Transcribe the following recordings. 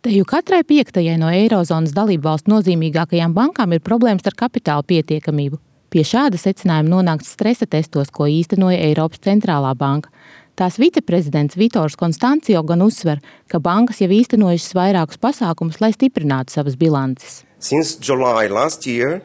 Teju katrai 5. no Eirozonas dalībvalstu nozīmīgākajām bankām ir problēmas ar kapitāla pietiekamību. Pie šāda secinājuma nonākts stresa testos, ko īstenoja Eiropas centrālā banka. Tās viceprezidents Vitors Konstancijo gan uzsver, ka bankas jau īstenojušas vairākus pasākumus, lai stiprinātu savas bilances. Since July last year,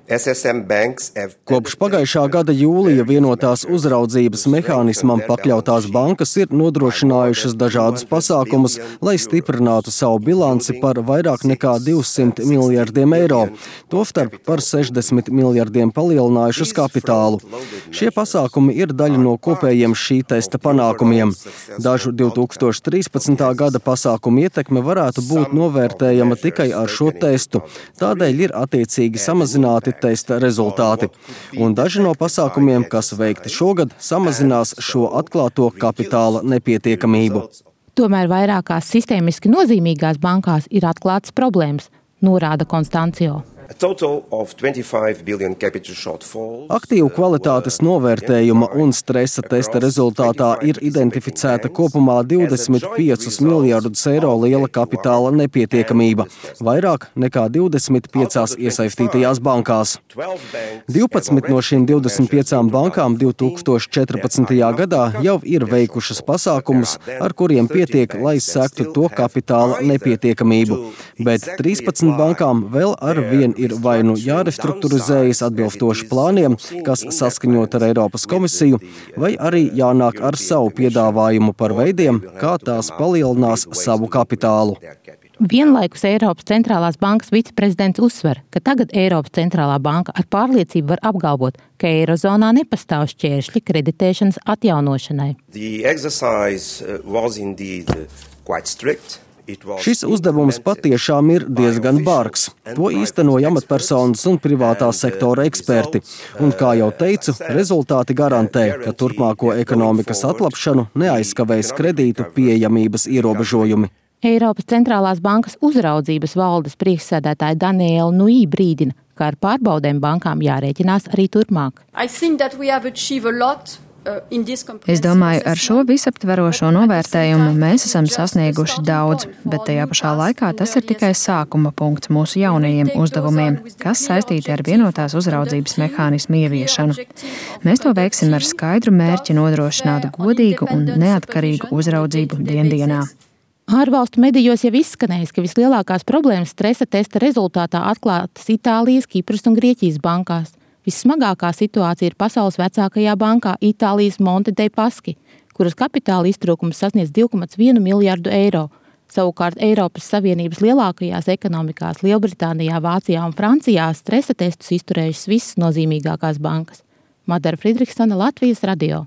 Kopš pagājušā gada jūlija vienotās uzraudzības mehānismam pakļautās bankas ir nodrošinājušas dažādus pasākumus, lai stiprinātu savu bilanci par vairāk nekā 200 miljardiem eiro, tostarp par 60 miljardiem palielinājušas kapitālu. Šie pasākumi ir daļa no kopējiem šī testa panākumiem. Dažu 2013. gada pasākumu ietekme varētu būt novērtējama tikai ar šo testu. Tādēļ ir attiecīgi samazināti testa rezultāti. Un daži no pasākumiem, kas veikti šogad, samazinās šo atklāto kapitāla nepietiekamību. Tomēr vairākās sistēmiski nozīmīgās bankās ir atklātas problēmas, norāda Konstancijo. Aktīvu kvalitātes novērtējuma un stresa testa rezultātā ir identificēta kopumā 25 miljardus eiro liela kapitāla nepietiekamība, vairāk nekā 25 iesaistītajās bankās. 12 no šīm 25 bankām 2014. gadā jau ir veikušas pasākumus, ar kuriem pietiek, lai sektu to kapitāla nepietiekamību, bet 13 bankām vēl ar vien ir vai nu jārestruktūrizējas atbilstoši plāniem, kas saskaņot ar Eiropas komisiju, vai arī jānāk ar savu piedāvājumu par veidiem, kā tās palielinās savu kapitālu. Vienlaikus Eiropas centrālās bankas viceprezidents uzsver, ka tagad Eiropas centrālā banka ar pārliecību var apgalvot, ka Eirozonā nepastāv šķēršļi kreditēšanas atjaunošanai. Šis uzdevums patiešām ir diezgan bargs. To īstenoja amatpersonas un privātā sektora eksperti. Un, kā jau teicu, rezultāti garantē, ka turpmāko ekonomikas atlapšanu neaizskavēs kredītu pieejamības ierobežojumi. Eiropas centrālās bankas uzraudzības valdes priekšsēdētāja Daniela Nui brīdina, ka ar pārbaudēm bankām jārēķinās arī turpmāk. Es domāju, ar šo visaptverošo novērtējumu mēs esam sasnieguši daudz, bet tajā pašā laikā tas ir tikai sākuma punkts mūsu jaunajiem uzdevumiem, kas saistīti ar vienotās uzraudzības mehānismu ieviešanu. Mēs to veiksim ar skaidru mērķi nodrošināt godīgu un neatkarīgu uzraudzību diendienā. Ārvalstu medijos jau izskanējis, ka vislielākās problēmas stresa testa rezultātā atklātas Itālijas, Kipras un Grieķijas bankās. Vissmagākā situācija ir pasaules vecākajā bankā Itālijas Monte dei Paschi, kuras kapitāla iztrūkums sasniedz 2,1 miljardu eiro. Savukārt Eiropas Savienības lielākajās ekonomikās Lielbritānijā, Vācijā un Francijā stresa testus izturējušas visas nozīmīgākās bankas. Madara Fridriksona, Latvijas radio.